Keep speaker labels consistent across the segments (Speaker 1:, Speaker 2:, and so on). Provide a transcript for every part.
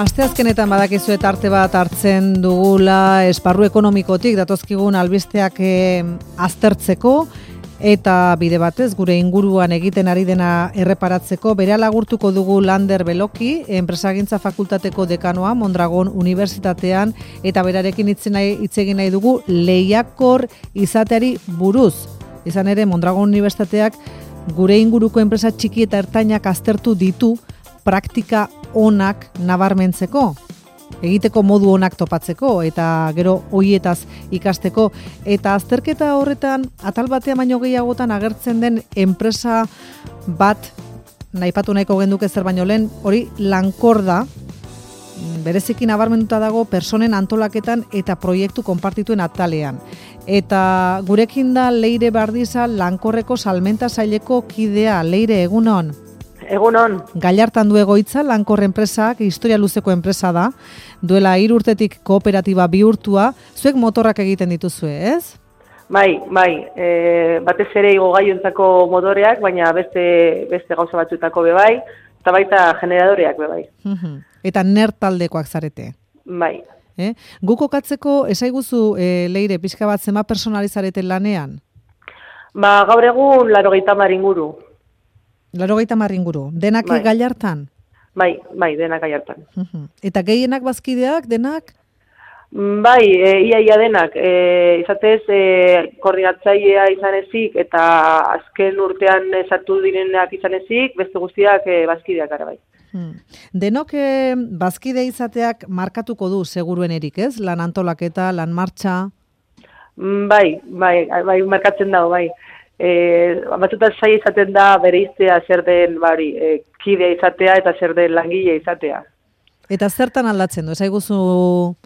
Speaker 1: Asteazkenetan badakizu eta arte bat hartzen dugula esparru ekonomikotik datozkigun albisteak aztertzeko eta bide batez gure inguruan egiten ari dena erreparatzeko berehala agurtuko dugu Lander Beloki, enpresagintza fakultateko dekanoa Mondragon Unibertsitatean eta berarekin hitz egin nahi dugu lehiakor izateari buruz. Izan ere Mondragon Unibertsitateak gure inguruko enpresa txiki eta ertainak aztertu ditu praktika onak nabarmentzeko, egiteko modu onak topatzeko eta gero hoietaz ikasteko eta azterketa horretan atal batean baino gehiagotan agertzen den enpresa bat naipatu nahiko genduke zer baino lehen, hori Lankor da, bereziki nabarmenduta dago personen antolaketan eta proiektu konpartituen atalean. Eta gurekin da Leire Bardiza, Lankorreko salmenta saileko kidea. Leire, egunon.
Speaker 2: Egunon.
Speaker 1: Gallartan du egoitza, Lankor enpresak, historia luzeko enpresa da, duela 3 urtetik kooperatiba bihurtua, zuek motorrak egiten dituzue, ez?
Speaker 2: Bai, batez ere igogailuentzako motoreak, baina beste gauza batzuetako bai, eta baita generadoreak bai.
Speaker 1: Eta ner taldekoak zarete?
Speaker 2: Bai.
Speaker 1: Gu kokatzeko, esaiguzu, Leire, pixka bat zema personalizareten lanean?
Speaker 2: Gaur egun 80 inguru.
Speaker 1: 80 inguru. Denak
Speaker 2: bai.
Speaker 1: Gallartan?
Speaker 2: Bai, denak Gallartan.
Speaker 1: Eta gehienak bazkideak, denak?
Speaker 2: Bai, ia denak. Izatez, koordinatzailea izan ezik eta azken urtean sartu direnak izan ezik, beste guztiak bazkideak gara bai.
Speaker 1: Denok bazkide izateak markatuko du seguruen erik, ez? Lan antolaketa, lan martxa?
Speaker 2: Bai, markatzen dago, bai. Batzutan saia izaten da bereiztea zer den kidea izatea eta zer den langile izatea.
Speaker 1: Eta zertan aldatzen du? Esaiguzu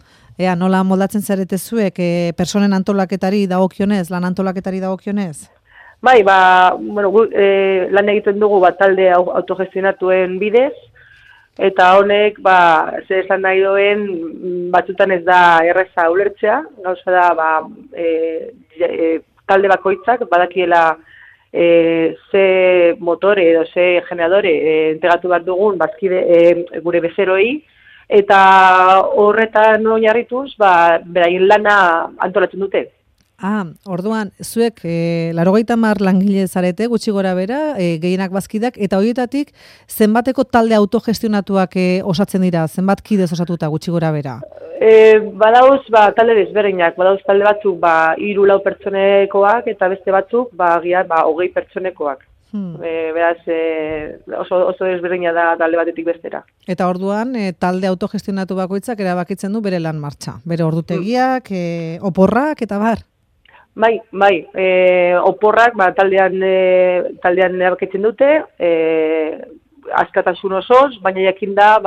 Speaker 1: nola moldatzen zarete zuek personen antolaketari dagokionez, lan antolaketari dagokionez?
Speaker 2: Bai, lan egiten dugu talde autogestionatuen bidez, eta honek, zer esan nahi doen, batzutan ez da erreza ulertzea, gauza da, talde bakoitzak badakiela ze motore edo ze generadore entregatu behar dugun gure bezeroi, eta horretan oinarrituz beraien lana antolatzen dute.
Speaker 1: Orduan, zuek 80 langile zarete, gutxi gora bera, gehienak bazkidak, eta horietatik zenbateko talde autogestionatuak osatzen dira, zenbat kidez osatuta gutxi gora bera?
Speaker 2: Badauz, talde desberdinak, badauz talde batzuk 3-4 pertsonekoak, eta beste batzuk, 20 pertsonekoak. Beraz, oso desberdina da talde batetik bestera.
Speaker 1: Eta orduan, talde autogestionatu bakoitzak erabakitzen du bere lan martxa, bere ordutegiak, oporrak, eta bar?
Speaker 2: Bai, oporrak taldean erabakitzen dute, askatasun osoz, baina jakin da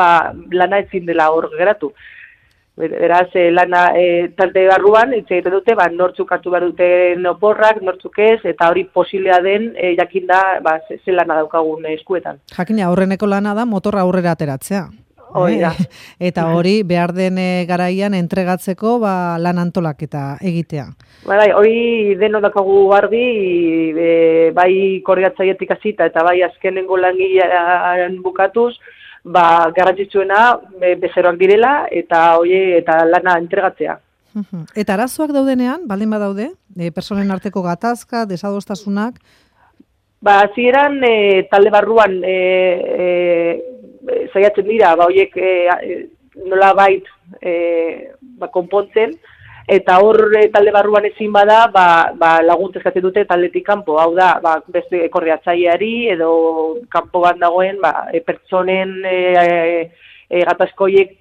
Speaker 2: lana ezin dela hor geratu. Beraz, lana talde barruan hitz egiten dute, nortzuk hartu behar duten oporrak, nortzuk ez, eta hori posiblea den jakin da ze lana daukagun eskuetan.
Speaker 1: Jakina, aurreneko lana da motorra aurrera ateratzea. Eta hori behar den garaian entregatzeko lan antolaketa egitea.
Speaker 2: Hori deno daukagu argi, bai koordinatzaietik hasita eta bai azkenengo langilean bukatuz, garrantzitsuena bezeroak direla eta lana entregatzea.
Speaker 1: Eta arazoak daudenean, baldin badaude, personen arteko gatazka, desadostasunak?
Speaker 2: Hasieran talde barruan saiatzen dira, horiek nola bait konpontzen, eta hor talde barruan ezin bada, laguntza eskatzen dute taldetik kanpo, hau da, beste koordinatzaileari edo kanpo bat dagoen, pertsonen gatazkoiek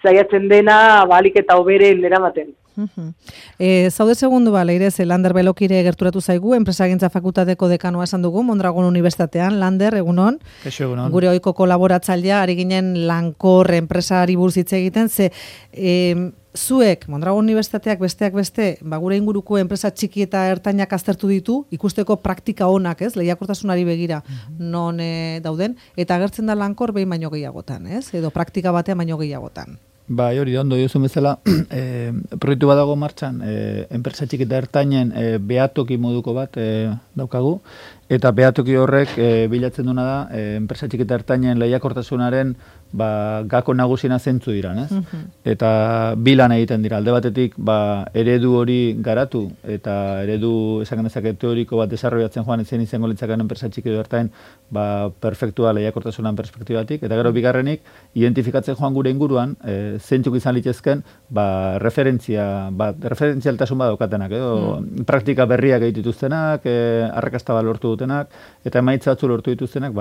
Speaker 2: saiatzen dena ahalik eta hoberen eramaten.
Speaker 1: Zaude segundu Leire, Lander Belokire gerturatu zaigu, enpresagintza fakultateko dekanoa esan dugu, Mondragon Unibertsitatean. Lander, egunon.
Speaker 3: Egunon.
Speaker 1: Gure ohiko kolaboratzailea, ari ginen Lankor enpresari buruz hitz egiten, zuek, Mondragon Unibertsitateak besteak beste, gure inguruko enpresa txiki eta ertainak aztertu ditu, ikusteko praktika onak, ez, lehiakortasunari begira non dauden, eta agertzen da Lankor behin baino gehiagotan, ez, edo praktika batean baino gehiagotan.
Speaker 3: Hori da, ondo duzun bezala, proiektu bat dago martxan, enpresa txiki eta ertainen behatoki moduko bat daukagu, Eta behatoki horrek bilatzen duna da, enpresa txiki eta ertainen lehiakortasunaren gako nagusiena zentzu dira, ez? Eta bi lan egiten dira. Alde batetik, eredu hori garatu, eta eredu, esan dezake teoriko bat desarrollatzen joan ezen izango litzaken enpresa txiki edo ertain, perfektua lehiakortasunan perspektibatik. Eta gero bigarrenik, identifikatzen joan gure inguruan, zentzuk izan litezken, referentzialtasun badaukatenak, edo praktika berriak egituztenak, arrakasta bat lortu dutenak, eta emaitza batzu lortu dituztenak,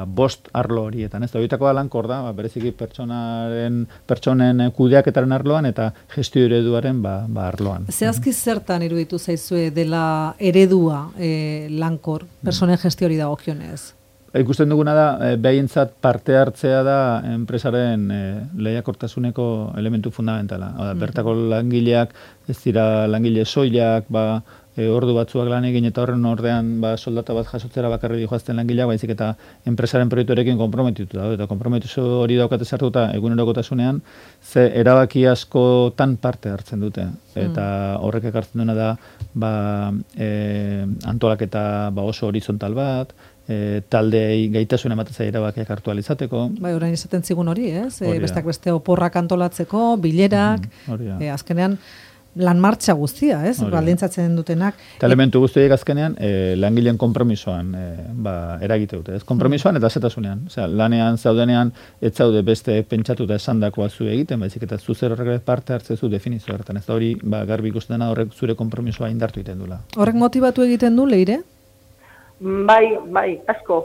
Speaker 3: bost arlo horietan, ez da, horietako lankor da, bereziki pertsonen kudeaketaren arloan eta gestio ereduaren arloan.
Speaker 1: Zehazki zertan iruditu zaizue dela eredua lankor, pertsonen gestiori dagokionez?
Speaker 3: Ikusten duguna da, behintzat parte hartzea da enpresaren lehiakortasuneko elementu fundamentala. Bertako langileak, ez dira langile soilak, ordu batzuak lan egin eta horren ordean soldata bat jasotzera bakarri joazten langileak, baizik eta enpresaren proiektuarekin konprometitu da. Eta konprometizu hori daukate sartuta egunerokotasunean, ze erabaki askotan parte hartzen dute. Eta horrek ekartzen duena da antolaketa oso horizontal bat, taldeei gaitasun ematen erabakiak hartu alizateko.
Speaker 1: Orain izaten zigun hori, ez? Bestak beste oporrak antolatzeko, bilerak, azkenean lan martxa guztia, ez? Baldintzatzen dutenak.
Speaker 3: Eta elementu guztiak azkenean langileen konpromisoan eragite dute, ez? Konpromisoan eta zetasunean. Osea, lanean zaudenean ez zaude beste pentsatuta esandakoa zu egiten, baizik eta zu zer horrek parte hartzezu definizio horretan. Ez da hori garbi ikusten dena horrek zure konpromisoa indartu egiten dula.
Speaker 1: Horrek motibatu egiten du, Leire?
Speaker 2: Bai, asko.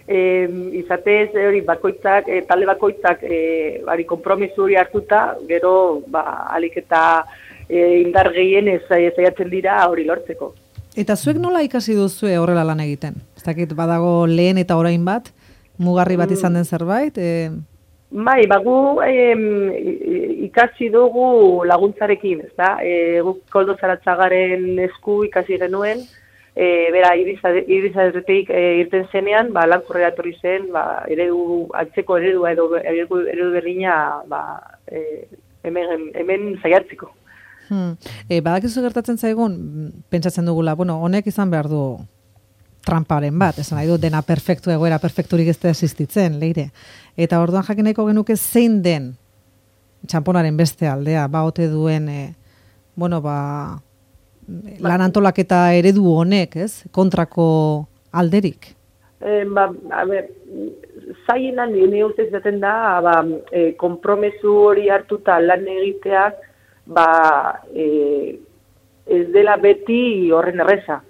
Speaker 2: Izatez hori bakoitzak, talde bakoitzak konpromiso hori hartuta, gero alik eta indar gehienez zaiatzen dira hori lortzeko.
Speaker 1: Eta zuek nola ikasi duzue horrela lan egiten? Ez dakit badago lehen eta orain bat, mugarri bat izan den zerbait?
Speaker 2: Bai, gu ikasi dugu laguntzarekin, ez da? Guk Koldo Zaratzagaren esku ikasi genuen, bera irizadetik irten zenean, lankorrera etorri zen, antzeko eredua edo eredu berdina hemen zaiatzeko.
Speaker 1: Badakizu gertatzen zaigun, pentsatzen dugula, honek izan behar du tramparen bat, esan nahi du dena perfektu egoera perfekturik ez da existitzen, Leire. Eta orduan jakineko genuke zein den txamponaren beste aldea, ote duen, lan antolaketa eredu honek, ez? Kontrako alderik?
Speaker 2: Zainan, nire ustez zaten da, konpromesu hori hartuta lan egiteak, ez dela beti horren erreza.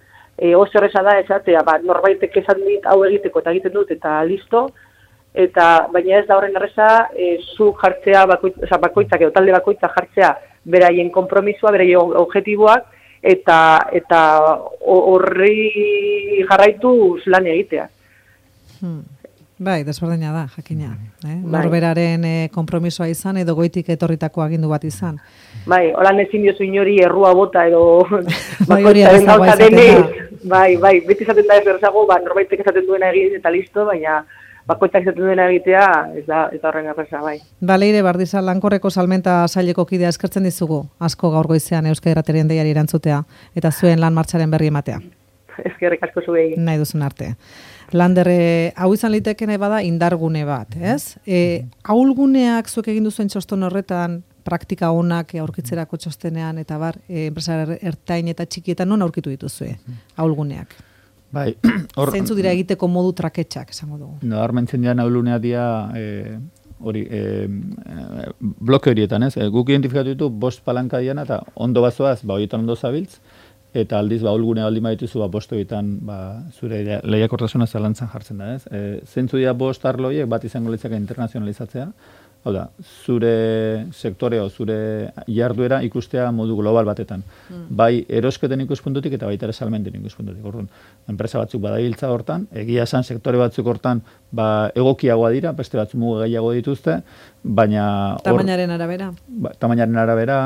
Speaker 2: Oso erreza da esatea, norbaitek esan dit hau egiteko eta egiten dut eta listo, baina ez da horren erreza zu jartzea, bakoitzak edo talde bakoitzak jartzea beraien konpromisua, beraien objektiboak, eta horri jarraituz lan egitea.
Speaker 1: Bai, desberdina da, jakina. Norberaren konpromisoa izan edo goitik etorritako agindu bat izan.
Speaker 2: Bai, holan ezin diozu inori errua bota edo
Speaker 1: bakoitzaren gauza denik.
Speaker 2: Bai, beti izaten da ez berzago, norbaitek esaten duena egin eta listo, baina bakoitzak izaten duena egitea ez da horren erreza, bai.
Speaker 1: Leire Bardizal, Lankorreko salmenta saileko kidea eskertzen dizugu, asko gaur goizean Euskadi Irratiaren deiari erantzutea, eta zuen lan martxaren berri ematea.
Speaker 2: Eskerrik asko zuei.
Speaker 1: Nahi duzun arte. Lander, hau izan litekene bada indargune bat, ez? Ahulguneak zuek egin duzuen txoston horretan, praktika onak aurkitzerako txostenean, eta enpresa ertain eta txikietan non aurkitu dituzue, ahulguneak?
Speaker 3: Bai,
Speaker 1: zeintzu dira egiteko modu traketxak, esango dugu.
Speaker 3: Armentzen dira ahulguneak dira bloke horietan, ez? Guk identifikatu ditu 5 palanka diana, eta ondo bazoaz, horietan ondo zabiltz, eta aldiz ahulgunea baldin badituzu bost horietan zure lehiakortasuna zalantzan jartzen da, ez? Zeintzu dira 5 arlo horiek bat izango litzake internazionalizatzea, hau da, zure sektore o zure jarduera ikustea modu global batetan. Bai erosketen ikuspuntutik eta baita ere salmenten ikuspuntutik. Orduan, enpresa batzuk badabiltza hortan, egia esan sektore batzuk hortan egokiagoa dira, beste batzuk muga gehiago dituzte, baina...
Speaker 1: Tamainaren arabera.
Speaker 3: Tamainaren arabera,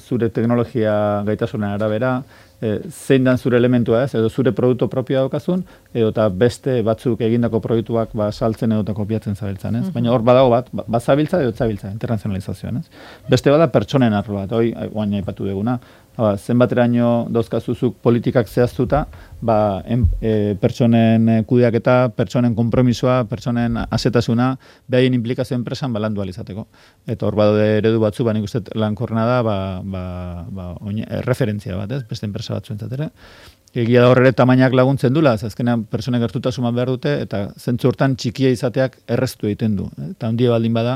Speaker 3: zure teknologia gaitasunen arabera, zein dan zure elementua ez, edo zure produktu propioa daukazun, edo eta beste batzuk egindako proiektuak saltzen edo eta kopiatzen zabiltzan, ez? Baina hor badago bat zabiltza edo zabiltza, internazionalizazioan, ez? Beste bada pertsonen arlo bat, oain aipatu duguna, Zenbateraino dauzkazuzuk politikak zehaztuta, pertsonen kudeaketa, pertsonen konpromisoa, pertsonen asetasuna, behaien implikazio enpresan landu alizateko. Eta hor badaude eredu batzu, nik uste lankorrena da, referentzia bat, ez? Beste enpresa batzuentzat ere. Egia da horre tamainak laguntzen dula, azkenean pertsonek gertutasuman behar dute, eta zentzu hortan txikia izateak erreztu egiten du. Eta handia baldin bada,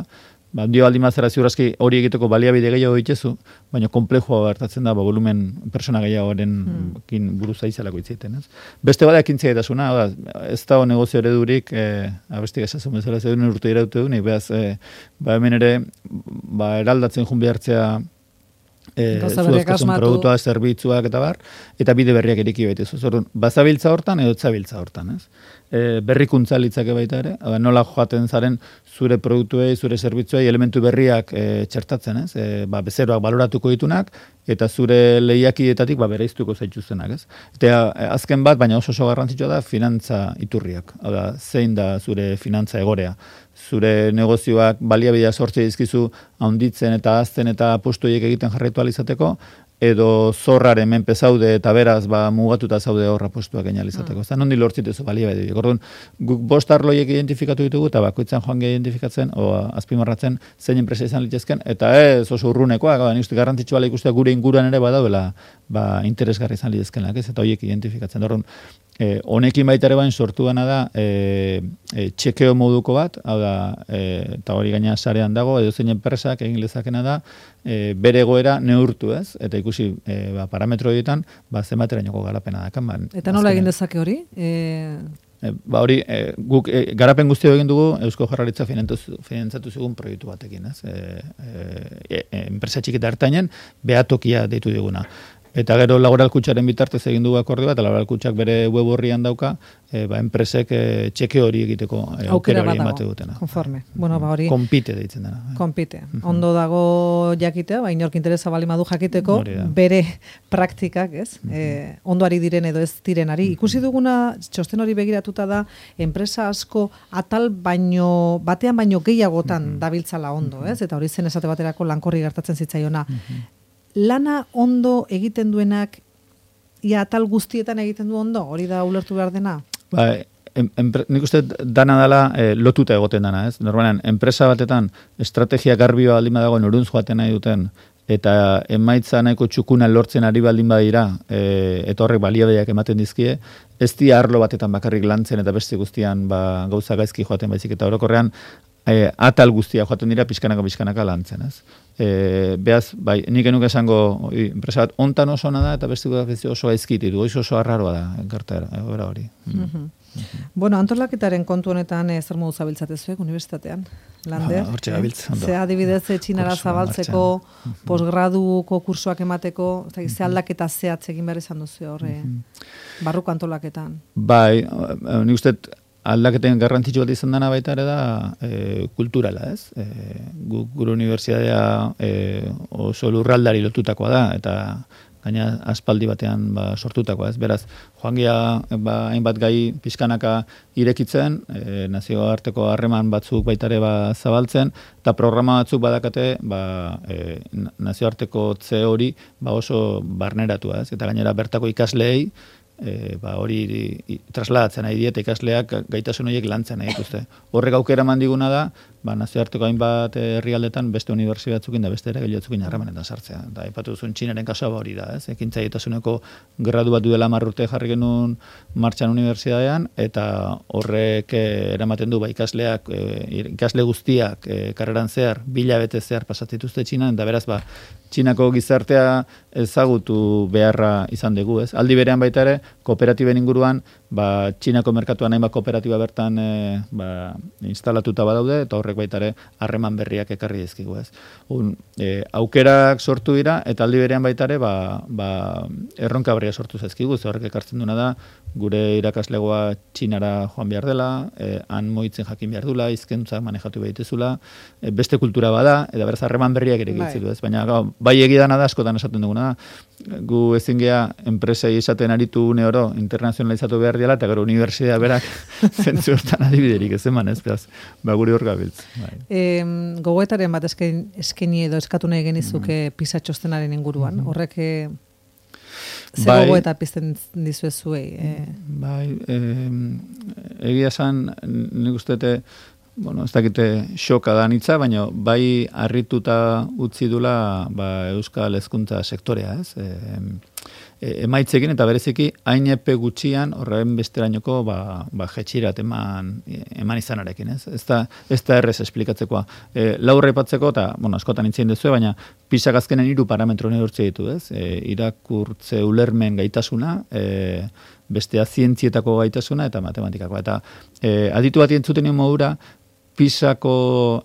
Speaker 3: handia baldin bazara ziurazki hori egiteko baliabide gehiago dituzu, baina komplejua hartatzen da, volumen pertsona gehiagoaren buruz aizalako itzaiten. Beste bada ekintzia etasuna, ez da negozio eredurik, abestik esazun bezala zeuden urte iraute du, behaz, hemen ere, eraldatzen jun behartzea, zuazkasun produktua, zerbitzuak eta bar, eta bide berriak eriki baitezu. Zorun, bazabiltza hortan edo etzabiltza hortan, ez? Berrikuntza litzake baita ere, nola joaten zaren zure produktuei, zure zerbitzuei elementu berriak txertatzen, ez? Bezeroak baloratuko ditunak, eta zure lehiakietatik bereiztuko zaituztenak, ez? Eta azken bat, baina oso garrantzitsua da, finantza iturriak. Zein da zure finantza egorea? Zure negozioak baliabidea sortzea dizkizu handitzen eta hazten eta postuiek egiten jarraitu alizateko, edo zorraren menpe zaude eta beraz mugatuta zaude horra postuak egin alizateko. Ez da, nondi lortzitezu baliabide. Orduan, guk 5 arloiek identifikatu ditugu, eta bakoitzan joan gehi identifikatzen, o azpimarratzen zein enpresa izan litezken, eta ez oso urrunekoak, nik garrantzitsua ikustea gure inguruan ere badauela interesgarri izan litezkenak, ez? Eta horiek identifikatzen. Orduan, honekin baita ere bain sortu dena da txekeo moduko bat, hau da, eta hori gaina sarean dago, edo zein enpresak egin lezakena da, bere egoera neurtu, ez? Eta ikusi parametro horietan, zenbaterainoko garapena dakan.
Speaker 1: Eta nola egin dezake hori?
Speaker 3: Hori, guk garapen guztio egin dugu Eusko Jaurlaritza finantzatu zigun proiektu batekin, ez? Enpresa txikita hartainen, behatokia deitu diguna. Eta gero laboral kutxaren bitartez egin dugu akordio bat, eta laboral kutxak bere web horrian dauka, enpresek txeke hori egiteko aukera hori emate dutena.
Speaker 1: Konforme. Bueno, hori...
Speaker 3: Konpite deitzen dena.
Speaker 1: Konpite. Ondo dago jakitea, inork interesa bali madu jakiteko, bere praktikak, ez? Ondoari diren edo ez direnari. Ikusi duguna, txosten hori begiratuta da, enpresa asko atal batean baino gehiagotan dabiltzala ondo, ez? Eta hori zen esate baterako lankorri gertatzen zitzaiona. Lana ondo egiten duenak, atal guztietan egiten du ondo? Hori da ulertu behar dena?
Speaker 3: Nik uste dana dela lotuta egoten dana, ez? Normalean, enpresa batetan estrategia garbioa baldin badago noruntz joaten nahi duten, eta emaitza nahiko txukuna lortzen ari baldin badira, eta horrek baliabideak ematen dizkie, ez di arlo batetan bakarrik lantzen eta beste guztian gauza gaizki joaten baizik, eta orokorrean atal guztia joaten dira pixkanaka lantzen, ez? Beaz, nik enuke esango enpresa bat ontan oso ona da eta beste oso gaizkiti du, oso arraroa da gertaera hori.
Speaker 1: Bueno, antolaketaren kontu honetan zer modu zabiltzatezuek unibertsitatean? Lander?
Speaker 3: Hortxe gabiltz.
Speaker 1: Ze adibidez txinara zabaltzeko, posgraduko kursoak emateko, ze aldaketa zehatz egin behar izan duzu horre barruko antolaketan?
Speaker 3: Bai, nik uste aldaketen garrantzitsu bat izan dena baita ere da kulturala, ez? Gure unibertsitatea oso lurraldari lotutakoa da, eta gaina aspaldi batean sortutakoa, ez? Beraz, joan gira hainbat gai pizkanaka irekitzen, nazioarteko harreman batzuk baita ere zabaltzen, eta programa batzuk badakate nazioarteko tze hori oso barneratua, ez? Eta gainera bertako ikasleei hori trasladatzen nahi dieta ikasleak gaitasun horiek lantzen nahi dituzte. Horrek aukera mandiguna da, nazioarteko hainbat herrialdetan beste unibertsitate batzukin da beste ere gehiatzukin harremanetan sartzea. Da, aipatu duzun Txinaren kasua hori da, ez? Ekintzailetasuneko gradu bat duela 10 urte jarri genuen martxan unibertsitatean, eta horrek eramaten du ikasleak, ikasle guztiak karreran zehar, 2 hilabete zehar pasatituzte Txinan, eta beraz Txinako gizartea ezagutu beharra izan dugu, ez? Aldi berean baita ere, kooperatiben inguruan, Txinako merkatuan hainbat kooperatiba bertan instalatuta badaude, eta horrek baita ere harreman berriak ekarri dizkigu, ez? Aukerak sortu dira, eta aldi berean baita ere, erronka berria sortu zaizkigu, ze horrek ekartzen duna da, gure irakaslegoa Txinara joan behar dela, han moitzen jakin behar dula, hizkuntzak manejatu behitezula, beste kultura bada, eta beraz harreman berriak ere gitzilu, ez? Baina bai egidana da, askotan esaten duguna da, gu ezin geha enpresei esaten aritu une oro internazionalizatu behar diala, eta gero unibertsitatea berak zentzu hortan adibiderik ez eman, ez? Guri hor gabiltz.
Speaker 1: Gogoetaren bat eskaini edo eskatu nahi genizuke PISA txostenaren inguruan. Horrek Zer gogoeta pizten dizuezuei?
Speaker 3: Bai, egia esan, nik ustete, ez dakite xoka da nitza, baina bai harrituta utzi dula Euskal Hezkuntza sektorea, ez? Emaitzekin eta bereziki hain epe gutxian horren besterainoko jetxirat eman izanarekin, ez? Ez da errez esplikatzekoa. Laurra ipatzeko, eta, askotan itzein dezue, baina PISAk azkenen 3 parametro neurtze ditu, ez? Irakurtze ulermen gaitasuna, bestea zientzietako gaitasuna eta matematikako. Eta aditu bat entzuten modura, PISAko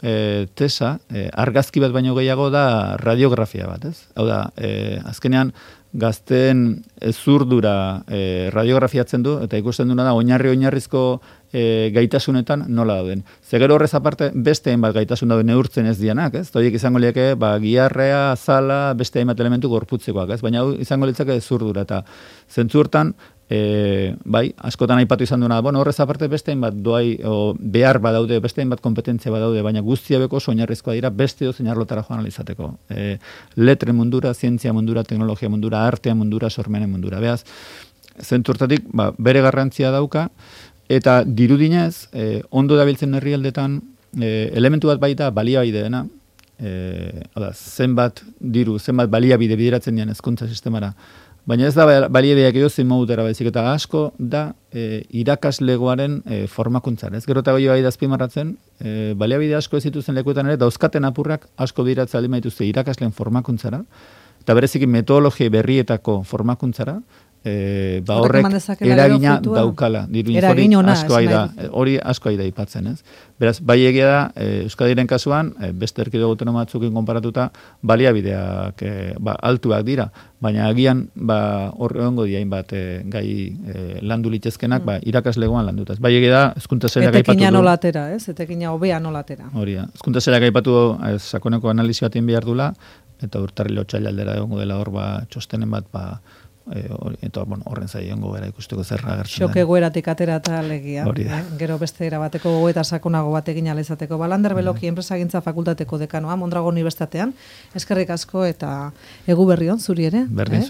Speaker 3: tesa, argazki bat baino gehiago da radiografia bat, ez? Hau da, azkenean, gazteen zurdura radiografiatzen du, eta ikusten duna da, oinarrizko gaitasunetan nola dauden. Zegero horrez aparte, beste hainbat gaitasun dauden neurtzen ez dianak, ez? Horiek izango lieke, giharrea, azala, beste hainbat elementu gorputzekoak, ez? Baina izango litzake zurdura, eta zentzu hortan, bai, askotan aipatu izan duena, horrez aparte beste hainbat doai, behar badaude, beste hainbat kompetentzia badaude, baina guztia beko oinarrizkoa dira beste dozein arlotara joan alizateko. Letre mundura, zientzia mundura, teknologia mundura, artea mundura, sormenen mundura. Beaz, zentzu hortatik, bere garrantzia dauka, eta dirudinez, ondo dabiltzen herrialdetan, elementu bat baita baliabide dena, zenbat diru, zenbat baliabide bideratzen dian hezkuntza sistemara. Baina ez da baliabideak edozein modutera baizik, eta asko da irakaslegoaren formakuntzara. Ez gero eta goio bai da azpimarratzen, baliabide asko ez zituzen lekuetan ere, dauzkaten apurrak asko bideratzen aldi maituzte irakasleen formakuntzara, eta bereziki metodologia berrietako formakuntzara, horrek eragina daukala. Hori asko aida ipatzen, ez? Beraz, bai egia da, Euskadiren kasuan, beste erkidego autonomatzukin konparatuta, baliabideak altuak dira, baina agian horrengo diain bat gai landu litezkenak, irakaslegoan landutaz. Bai egia da, hezkuntza sailak aipatu du.
Speaker 1: Etekina nolatera, ez? Etekina hobea nolatera.
Speaker 3: Hori da. Hezkuntza sailak aipatu sakoneko analizi batean behar dula, eta urtarrilo otsailaldera egongo dela hor txostenen bat, eta horren zai ongo gara ikusteko zerra agertzen.
Speaker 1: Xok egoeratik atera eta alegia. Gero beste erabateko gogoeta sakonago bat egin alizateko. Lander Beloki enpresagintza fakultateko dekanoa, Mondragon Unibertsitatean. Eskerrik asko eta egu berrion zuri ere.